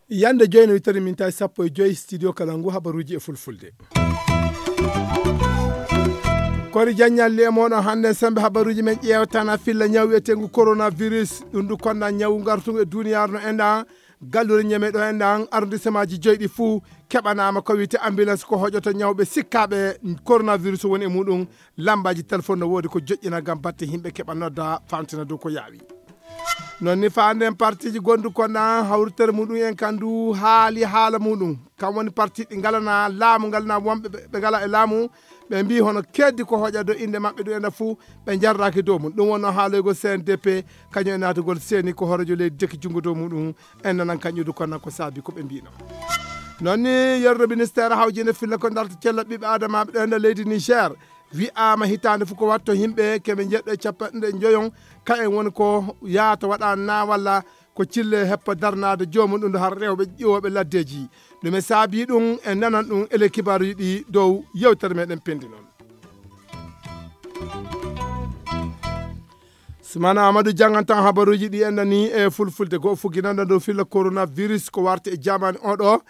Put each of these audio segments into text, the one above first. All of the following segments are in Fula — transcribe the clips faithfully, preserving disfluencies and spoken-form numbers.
Yande joyi no wittori min tawi sappo e joyi studio kala ngu habaruuji e fulfulde. Kori jaññalli e mooɗon hannde sembe habaruuji men ƴeewtana filla ñaw wiyeteengu coronavirus. Ɗum ndu konna ñaw ngartungu e duniyaaru no enɗan. Gallure ñeme ɗo enɗan arrondissement ji joyi ɗi fuu keɓanaama ko wiyte ambulance ko hoƴoto ñawɓe sikkaaɓe coronavirus woni e muɗum. Lambaaji téléphone no woodi ko joƴƴina ngam batte yimɓe keɓa nodda famtina dow ko yaawi. Non ni faanden partiji gondu konna hawritere muɗum en kan du haali haala muɗum. Kam woni parti ɗi ngalana laamu ngalana wonɓe ɓe ngala e laamu. Ɓe mbi hono keddi ko hoƴa dow innde maɓɓe ɗum ena fuu ɓe jarraki dow mum. Ɗum wonno haaloygol C N D P kañum e naatugol seeni ko hoorejo leydi jokki junngo dow muɗum. En nanan kañum du konna ko saabi ko ɓe mbino. Non ni yerdo ministère hawjinde filla ko darta cella ɓiɓɓe adamaɓe ɗo ena leydi Niger. Wi'aama hitaande fof ko watto yimɓe keɓe njeɗɗo e capanɗe njoyon, ka en woni ko yahata waɗa na walla ko cille heppa darnaade joomum ɗum har rewɓe ƴiwooɓe laddeeji. Ɗume saabii ɗum? En nanan ɗum ele kibaaruuji ɗi dow yewtere meɗen pendi noon. Sumana Amadou janngantan habaruuji ɗi enɗan ni e fulfulde goo fugginanɗa dow filla coronavirus ko warti e jamaani oɗo.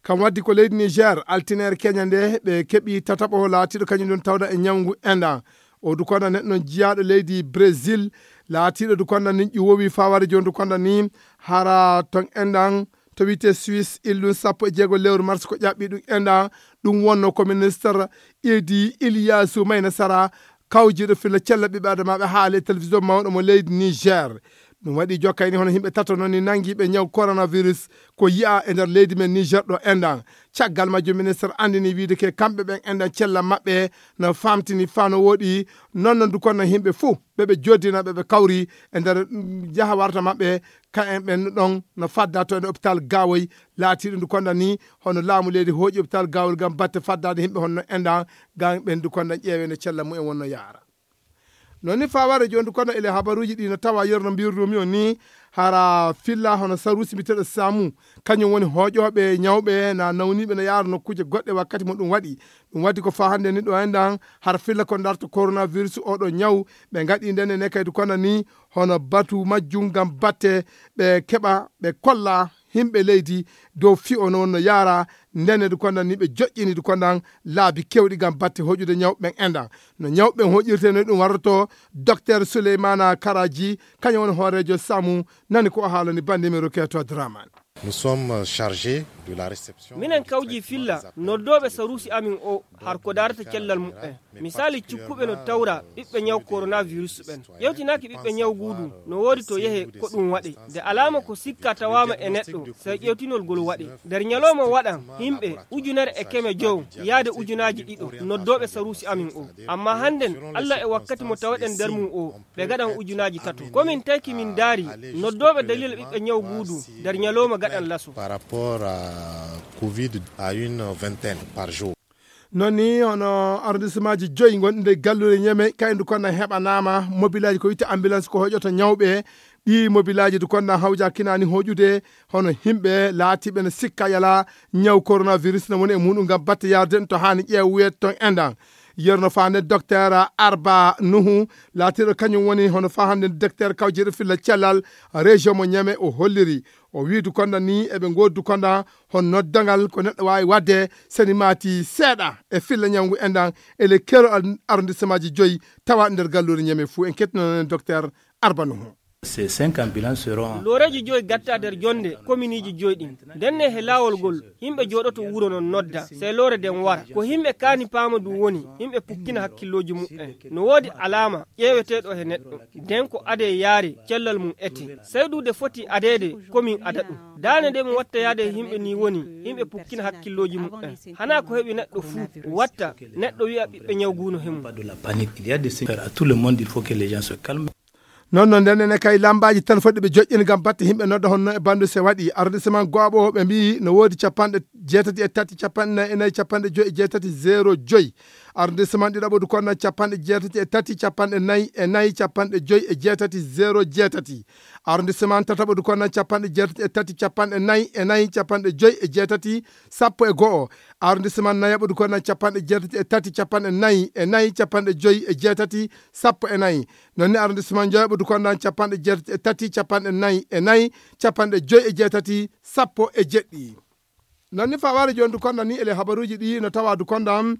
Kam waddi ko leydi Niger, altinere keña nde ɓe keɓi tataɓo laatiiɗo kañum ɗon tawda e ñawngu enɗan. O du konna neɗɗo non jiyaaɗo leydi Brésil, laatiiɗo du konna ni ƴuwowi faware jooni du konna ni hara ton enɗan to wiyte Suisse illun sappo e jeego lewru mars ko ƴaɓɓi ɗum enɗan. Ɗum wonno ko ministre Idi Iliyasu Mayna Sara kawjiiɗo filla cella ɓiɓɓe adamaaɓe haali e télévision mawɗo mo leydi Niger. Ɗum waɗi jokkayni hono yimɓe tato noon ni nanngiiɓe ñaw coronavirus ko yi'a e nder leydi men Niger ɗo enɗan. Caggal majjum ministre anndini wiide ke kamɓe ɓen enɗan cella maɓɓe no famtini faa no woɗi. Noon noon du konna yimɓe fuu ɓe ɓe joddina ɓe ɓe kawri e nder mm, jaha warta maɓɓe ka en ɓen ɗon no fadda to en hôpital Gawoy. Laatiiɗo ndu konna ni hono laamu leydi hooƴi hôpital Gawoy ngam batte faddaade yimɓe honno enɗan ngam ɓen ndu konna ƴeewe no cella mumen wonno yaara. Noon ni faware jooni kono ele habaruuji ɗi no tawa yerno mbirrumi on ni hara filla hono saruusi mbiteɗo samu kañum woni hooƴooɓe ñawɓe na nawniiɓe no yaara nokkuuje goɗɗe wakkati mo ɗum waɗi. Ɗum waɗi ko faa hannde ni ɗo enɗan har filla ko darto coronavirus oɗo ñaw ɓe ngaɗi nden e nekkaydu kono ni hono batu majjum ngam batte ɓe keɓa ɓe kolla yimɓe leydi dow fi'o no wonno yaara. Ndenedi kondan ni ɓe joƴƴinidi kondan laabi kewɗi ngam batte hoƴude ñawɓe ɓen enɗan. No ñawɓe ɓen hoƴirte no ɗum warroto docteur Souleymana Karaji kañum woni hooreejo samu. Nani ko o haalani bande men Roketo Draman. Nous sommes chargés de la réception. Minen kawji filla noddooɓe saruusi amin o har ko daarata cellal muɓɓen. Misali, cukkuɓe no tawra ɓiɓɓe ñaw coronavirus ɓen. Ƴewtinaaki ɓiɓɓe ñaw guudu no woodi to yehe ko ɗum waɗe. Nde alaama ko sikka tawaama e neɗɗo, sey ƴewtinol ngol waɗe. Nder ñalooma waɗan yimɓe ujunere e keme jow yaade ujunaaji ɗiɗo noddooɓe saruusi amin o. Amma hannden, Allah e wakkati mo taweɗen nder mum o, ɓe gaɗan ujunaaji tato. Ko min tayki min ndaari noddooɓe dalila ɓiɓɓe ñaw guudu nder ñalooma gaɗan laso. Par rapport à covid à une vingtaine par jour. Non ni hono arrondissemaaji joyi gonɗi nder galluure Ñeme, kaydu kondan heɓanaama mobilaaji ko witte ambulance ko hoƴoto ñawɓe. Ɗi mobilaaji du kondan hawja kinaani hoƴude hono himɓe laatiiɓe no sikka yala ñaw coronavirus no woni e muɗum ngam batte yarde en to haani ƴeew wiyete ton enɗan. Yerno faande docteur Arba Nuhu laatiiɗo kañum woni hono faa hannde docteur kawjiiɗo filla cellal région mo Ñeme o holliri. O wii du kondan ni eɓe ngoodi du kondan hon noddangal ko neɗɗo waawi waɗde seni maati seeɗa e filla ñawngu enɗan e le kero ar- arrondissemaaji joyi tawa nder galluure Ñeme fuu. En kettinoonen docteur Arba Nuhu. Ces cinq ambulances seront looreeji joyi gatta nder jonde kominiiji joyi ɗin. Ndenne he laawol ngol yimɓe jooɗoto wuro non nodda sey loore nden wara. Ko yimɓe kaani paama ɗum woni yimɓe pukkina hakkillooji muɓɓen. No woodi alaama ƴeeweteeɗo he neɗɗo nden ko adee yaare cellal mum ete. Sey ɗum de foti adeede ko min ada ɗum. Daande nde mi watta yaade e yimɓe ni woni yimɓe pukkina hakkillooji muɓɓen. Hanaa ko heɓi neɗɗo fuu watta neɗɗo wi'a ɓiɓɓe ñaw guuno he mum. Pas de la panique. Il y a des signes à tout le monde, il faut que les gens se calment. Non non nden ene kay lambaaji tan fodde ɓe joƴƴini ngam batte yimɓe nodda honno e bandu se waɗi arrondissement Goaɓo ɓe mbiyi no woodi capanɗe jeetati e tati capanɗe nayi e nayi capanɗe joyi e jeetati zéro joyi. Arrondissement ɗiɗaɓo du konnan capanɗe jeetati e tati capanɗe nayi e nayi capanɗe joyi e jeetati zero jeetati. Arrondissement tataɓo du konnan capanɗe jeetati e tati capanɗe nayi e nayi capanɗe joyi e jeetati sappo e go'o. Arrondissement nayaɓo du konnan capanɗe jeetati e tati capanɗe nayi e nayi capanɗe joyi e jeetati sappo e nayi. Non ni arrondissement joyaɓo du konnan capanɗe jeetati e tati capanɗe nayi e nayi capanɗe joyi e jeetati sappo e jeɗɗi. Non ni faware joni du konnan ni ele habaruji ɗi no tawa du konnan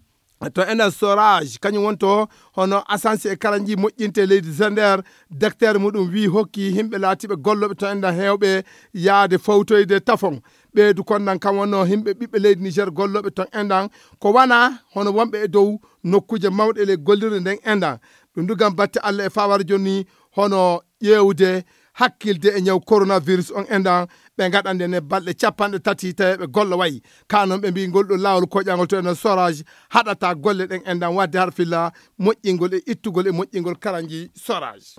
to enen Sorage kañum wonto hono asansi e kalanji moƴƴinte leydi Zender. Daktere muɗum wi hokki himɓe laatiɓe golloɓe to enɗan hewɓe yaade fawtoyde tafon. Ɓeydu konnan kam wonno himɓe ɓiɓɓe leydi Niger golloɓe ton enɗan ko wana hono wonɓe e dow nokkuje mawɗe le gollirde nden enɗan. Ɗum du gam batte Allah e faware joni hono ƴeewde hakkilde e ñaw coronavirus on enɗan. Ɓe gaɗande ne balɗe capanɗe tati tawi ɓe golla wayi ka non ɓe mbi ngol ɗo lawol koƴangol to enen Sorage haɗata golle ɗen enɗan wadde har filla moƴƴingol e ittugol e moƴƴingol karanji Sorage.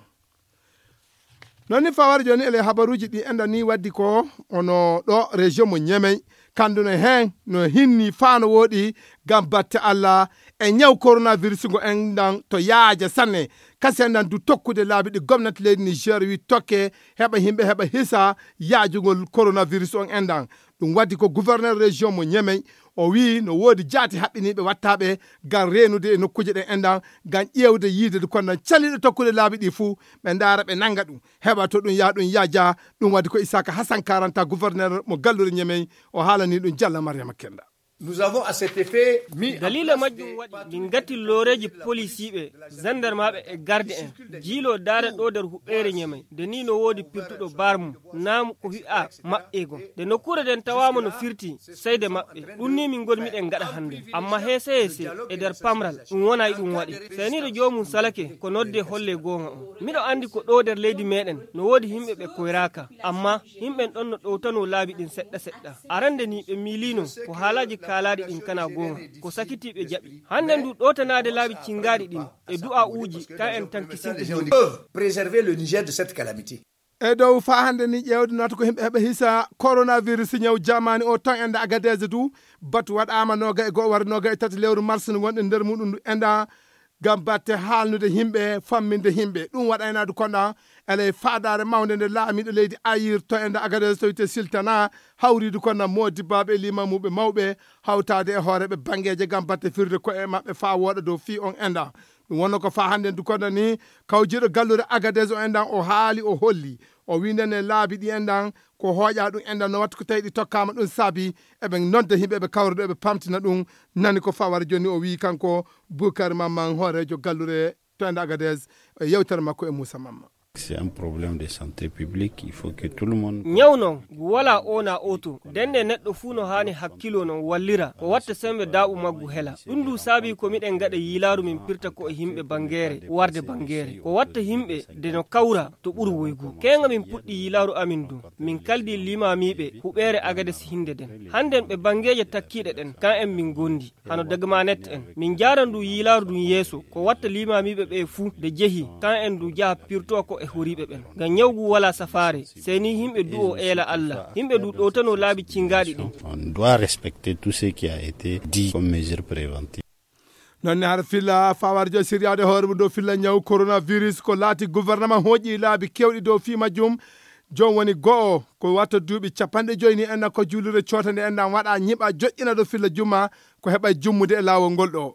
Non ni faware joni ele habaruji ɗi enɗan ni waddi ko ono ɗo région mo Ñemey. Kanduno hen no hinni fano woɗi gam batte Allah e ñaw coronavirus ngo enɗan to yaaja sanne. Kasi enɗan du tokkude laabi ɗi gomnati leydi Niger wi tokke heɓa himɓe heɓa hisa yaajugol coronavirus on enɗan. Ɗum waddi ko gouverneur région mo Ñemey o wi no woodi jaati haɓɓiniiɓe wattaɓe gam reenude e nokkuuje ɗen enɗan gam ƴeewde yiide du konnan caliiɗo tokkude laabi ɗi fuu ɓe ndaara ɓe nannga ɗum heɓa to ɗum yaha ɗum yaaja. Ɗum waddi ko Isaka Hasan Karanta gouverneur mo gallure Ñemey o haalani ɗum Jalla Mariama Kenda. Nous avons à cet effet mis en daliila place majjum des waɗi patrouilles min gatti looreeji polisiiɓe zandarmaaɓe e garde en jiilo daare ɗo nder huɓeere Ñemey nde ni no woodi pirtuɗo bar mum naamu ko wi'a maɓɓeego nde nokkuure nden tawaama no firti seyde maɓɓe. Ɗum ni min ngoni miɗen ngaɗa hannde amma heese heese e nder pamral ɗum wona e ɗum waɗe. Seniiɗo joomum salake ko nodde holle goonga on miɗo anndi ko ɗo nder leydi meɗen no woodi yimɓe ɓe koyraaka amma yimɓen ɗon no ɗowtano laabi ɗin seɗɗa seɗɗa. Arande ni ɓe miilino ko haalaaji kaalaaɗi ɗin kana goonga ko sakiti ɓe jaɓi. Hannde ndu ɗowtanaade laabi cinngaaɗi ɗin e du'a'uuji ka en tankisinte. Peuvent préserver le Niger de cette calamité. E dow faa hannde ni ƴeewde naata ko yimɓe heɓa hisa coronavirus ñaw jamani o tan enda Agadez du batu waɗaama noga e go'o wara noga e tati lewru mars no wonɗen nder muɗum ndu enda gam batte haalnude yimɓe famminde yimɓe ɗum waɗaynaadu konɗa eley faadaare mawnde nde laamiiɗo leydi ayir to enda Agadez to wiyte siltana hawriidu konɗa moodibbaaɓe e limamuuɓe mawɓe hawtaade e hooreeɓe banngeeje gam batte firde ko'e maɓɓe faa wooɗa dow fii on enda. Ɗum wonno ko faa hannde ndu konɗa ni kawjiiɗo gallure Agadez o enɗan o haali o holli o wii nden e laabi ɗi enɗan ko hooƴa ɗum enɗan no wattu ko tawi ɗi tokkaama ɗum saabi eɓe nodda yimɓe ɓe kawruɗo eɓe pamtina ɗum. Nani ko fawara joni o wii kanko Bukar Mamman hooreejo gallure to enɗa Agadez e yewtere makko e Moussa Mamma. C'est un problème de santé publique, il faut que tout le monde ñaw noon ngu walaa oona oto dennde neɗɗo fuu no haani hakkiloo noon wallira ko watta semmbe daaɓu maggu hela. Ɗum ndu saabii ko miɗen ngaɗa yiilaaru min pirta ko e yimɓe banngeere warde banngeere ko watta yimɓe de no kawra to ɓuri woygu keeŋa min puɗɗi yiilaaru amin ndu min kaldi limaamiiɓe huɓeere Agades hinnde nden hannden ɓe banngeeje takkiiɗe ɗen kan en min ngondi hano dagmanet en min njaara ndu yiilaaru ndun yeeso ko watta limaamiiɓe ɓe fuu de jehi kan en ndu jaha pirtoo ko e horiiɓe ɓen ngam ñawgu walaa safaare sey ni yimɓe du'oo eela Allah yimɓe ndu ɗowtanoo laabi cinngaaɗi ɗin. On doit respecter tout ce qui a été dit comme mesure préventive. Noon ne hara filla fawarjo siryaade hoore mum dow filla ñaw coronavirus ko laati gouvernement hooƴi laabi kewɗi dow fii majjum. Joom woni go'o ko watta duuɓi capanɗe joyi ni enna ko juulirde coota nde enna waɗa ñiɓa joƴƴina dow filla jumma ko heɓa jummude e laawol ngol ɗo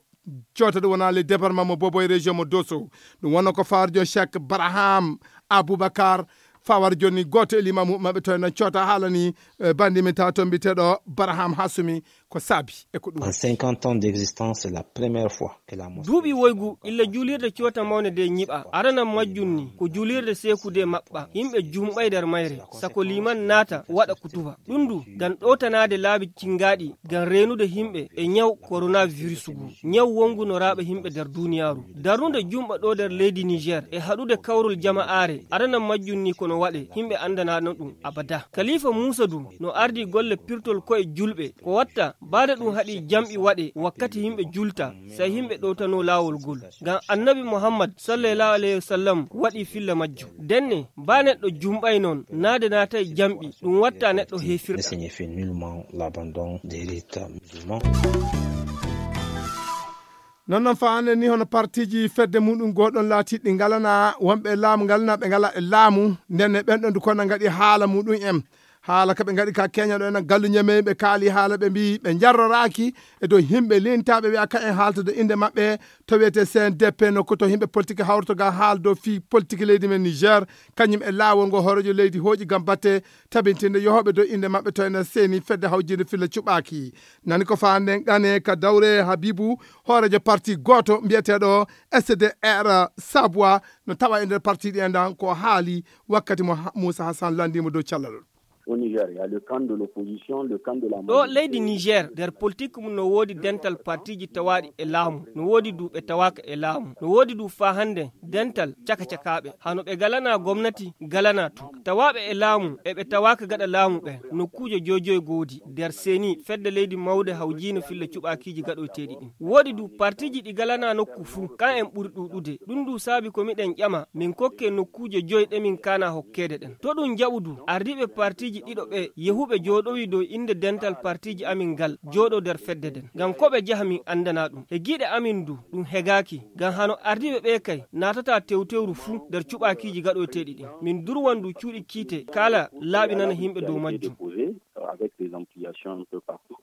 coota ɗum wona le département mo bobo e région mo doso. Ɗum wonno ko fawarjo chek baraham aboubacar fawarjo ni gooto e limamu maɓɓe to enna coota haalani bandi min tawa to mbiteɗo baraham hasumi ko saabi e ko ɗum. En cinquante ans d'existence, c'est la première fois que la mosquée duuɓi woygu illa juulirde coota mawnde nde ñiɓa arana majjum ni ko juulirde seekude maɓɓa yimɓe jumɓay nder mayre sako liman naata waɗa kutuba. Ɗum ndu ngam ɗowtanaade laabi cinngaaɗi ngam reenude yimɓe e ñaw koronavirus ngu ñaw wonngu no raaɓa yimɓe nder duuniyaaru darnude jumɓa ɗo nder leydi niger e haɗude kawrol jama'aare arana majjum ni kono waɗe yimɓe anndanaano ɗum abada. Kalifa muusa du no ardii golle pirtol ko'e julɓe ko watta baade ɗum haɗi jamɗi waɗe wakkati yimɓe julta sey yimɓe ɗowtanoo laawol ngol ngam annabi muhammad sallallahu alayhi wa sallam waɗii filla majjum. Ndenne baa neɗɗo jumɓay noon naade naatay jamɗi ɗum watta neɗɗo heefirɗa. Signifie nullement l'abandon des rites musulmans. Non non faa hannde ni hono partiiji fedde muɗum gooɗon laatiiɗi ngalana wonɓe e laamu ngalana ɓe ngala e laamu. Nden e ɓen ɗon du kono ngaɗi haala muɗum en. Haala ka ɓe ngaɗi ka Kenya ɗo ena gallu ñamey ɓe kaali haala ɓe mbiyi ɓe njarroraaki e dow yimɓe lintaaɓe wiya ka en haalta dow innde maɓɓe to wiyetee C N D P nokku to yimɓe politique hawrto ga haala dow fii politique leydi men Niger. Kañum e laawol ngo hooreejo leydi hooƴi ngam batte tabintinde yohooɓe dow innde maɓɓe to ena seeni fedde hawjinde filla cuɓaaki. Nani ko faanden ɗane ka dawre Habibu hooreejo parti gooto mbiyeteeɗo S D R Sabwa no tawa e nder parti ɗi enɗan ko haali wakkati mo Muusa Hassan lanndimo dow cellal. Au Niger, il y a le camp de l'opposition, le camp de la ɗo majorité. Leydi Niger nder politique mum no woodi dental partiiji tawaaɗi e laamu, no woodi du ɓe tawaaka e laamu, no woodi du faa hannde dental caka-cakaaɓe hano ɓe galanaa gomnati galanaa tun tawaaɓe e laamu e ɓe tawaaka gaɗa laamu ɓen. Nokkuuje joy joy goodi nder seeni fedde leydi mawde hawjiino filla cuɓaakiiji gaɗoyteeɗi ɗin. Woodi du partiiji ɗi galanaa nokku fuu kan en ɓuri ɗuuɗude. Ɗun du saabi ko miɗen ƴama min kokke nokkuuje joy ɗe min kaana hokkeede ɗen. To ɗun jaɓu du ardiiɓe partiiji ɗiɗo ɓe yehuɓe jooɗowi dow innde dental partiiji amin ngal jooɗo nder fedde nden ngam ko ɓe jaha min anndana ɗun e giiɗe amin du ɗun hegaaki. Ngam hano ardiiɓe ɓee kay naatataa tewtewru fuu nder cuɓaakiiji gaɗoyteeɗi ɗin min durwan du cuuɗi kiite kaala laaɓinana yimɓe dow majjum. Avec des ampliations un peu partout.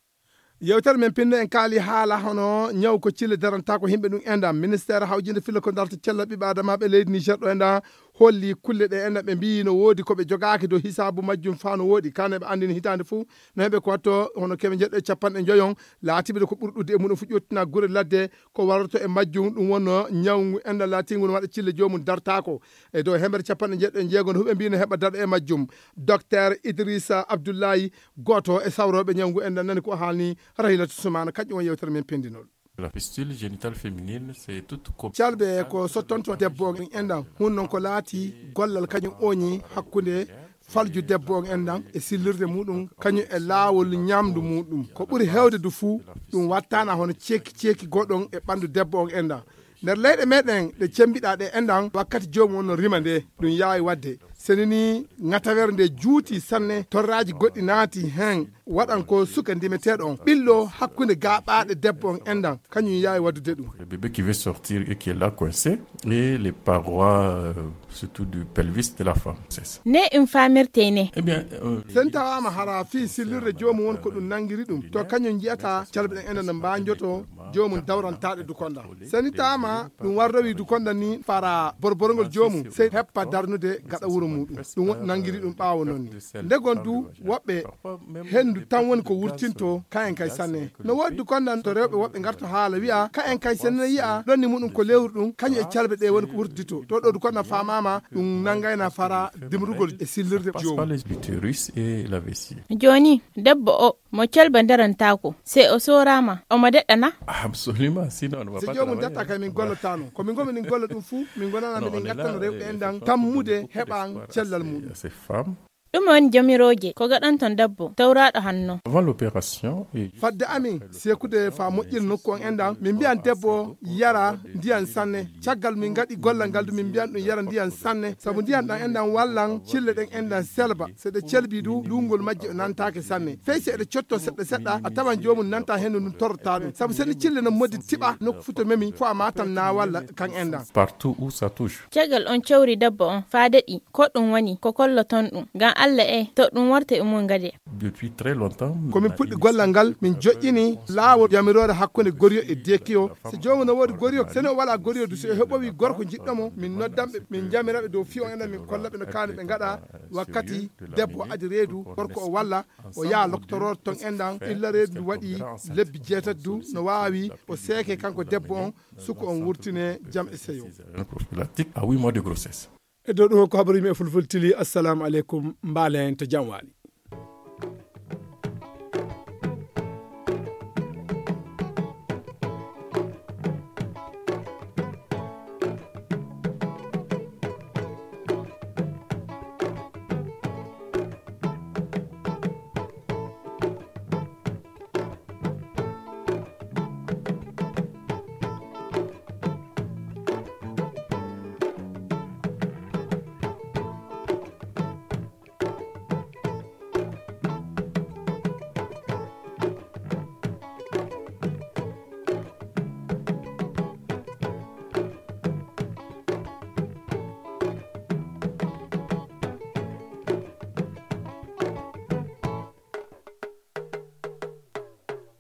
Yewtere men pinno en kaali haala hono ñaw ko cille darantaako yimɓe ɗum enɗan ministère hawjinde filla ko darta cella ɓiɓɓe adamaaɓe leydi Niger ɗo enɗan holli kulle ɗe enɗan ɓe mbiyi no woodi ko ɓe jogaaki dow hisaabu majjum faa no woodi kane ɓe anndini hitaande fuu no heɓe ko watto hono keme njeɗɗo e capanɗe njoyon laatiɓe ko ɓuri ɗuuɗude e muɗum fu ƴottina gure ladde ko warroto e majjum ɗum wonno ñawngu enɗan laatiingu no waɗa cille joomum dartaako e dow hemere capanɗe njeɗɗo e jeego no huɓe mbi no heɓa daɗo e majjum. Docteur Idrissa Abdoulaye gooto e sawrooɓe ñawngu enɗan nani ko haalni Rahilatu Sumana kañum on yewtere men pendinol. La fistule génitale féminine, c'est toute com- calbe ko sottonto debbo on enɗan hun non ko laati gollal kañum oñi hakkunde falju debbo on enɗan e sillirde muɗum kañum e laawol ñamdu muɗum ko ɓuri hewde du fuu ɗum wattana hono ceeki ceeki goɗon e ɓandu debbo on enɗan nder leyɗe meɗen ɗe cembiɗa ɗe enɗan wakkati joomum on no rima nde ɗum yaawi wadde. Seni ni ŋatawere nde juuti sanne torraaji goɗɗi naati hen waɗan ko suka ndimeteeɗo on ɓillo hakkunde gaaɓaaɗe debbo on enɗan kañum yaawi waddude ɗum. Le bébé qui veut sortir et qui est là coincé et les parois euh, surtout du pelvis de la femme. C'est ça. Ne ɗum faamirtey ne? Eh bien, euh, sen tawaama hara fii sillirde joomum won ko ɗum nanngiri ɗum to kañum njiyata calbe ɗen enɗan no mbaanjoto joomum dawrantaaɗe dukonda. Seni taama ɗum warrowi dukonda ni fara borborngol joomum sey heppa darnude gaɗa wuro muɗum. Ɗum nanngiri ɗum ɓaawo noon ni. Ndegon du woɓɓe henndu tan woni ko wurtinto kayen kay sanne. No woodi dukonda to rewɓe woɓɓe ngarto haala wi'a kayen kay sanne yi'a ɗon ni muɗum ko lewru ɗum kañum e calbe ɗe woni ko wurtito. To ɗo dukonda faamaama ɗum nanngayna fara dimrugol e sillirde joomum. L'utérus et la vessie. Jooni debbo o mo calba darantaako se o sooraama omo deɗɗana? Absolument, sinon on va si pas joomum travailler. Datta kay min gollataano ko min gomi min golla ɗum fuu min gonana miɗen gattano rewɓe en ɗan tammude heɓan cellal muɗum. Ces femmes. Ɗum woni jamirooje ko gaɗanton debbo tawraaɗo hanno. Avant l'opération et fadde amin sekude faa moƴƴina nokku on en ɗan min mbiyan debbo o yara ndiyan sanne. Caggal min ngaɗi gollal ngal du min mbiyan ɗum yara ndiyan sanne sabu ndiyan ɗan en ɗan wallan cille ɗen en ɗan selba. So ɗe celbii du luungol majje o nantaake sanne fey si eɗe cotto seɗɗa seɗɗa a tawan joomum nanta henndu ndun torrata ɗum sabu so ni cille no moddi tiɓa nokku fuu to memi fo a matan na walla kan en ɗan. Partout où ça touche. Caggal on cawri debbo on faa daɗi ko ɗum woni ko kolloton ɗum ngam Alla e to ɗum warta e mum gade. Depuis très longtemps. Ko min puɗɗi gollal ngal min joƴƴini laawol yamiroore hakkunde goriyo e deekiyo. So joomum no woodi goriyo so ni o walaa goriyo du so o heɓowi gorko jiɗɗo mo min noddan ɓe min njamira ɓe dow fii on enen min kolla ɓe no kaani ɓe ngaɗa wakkati debbo o adi reedu gorko o walla o yaha loktoroor ton en ɗan illa reedu ndu waɗi lebbi jeetati du no waawi o seeke kanko debbo on suka on wurtine jam e seyo. Prophylactique à huit mois de grossesse. E dow ɗum ko habaru yimɓe fulfultili assalamu aleykum mbaalen to jam waali.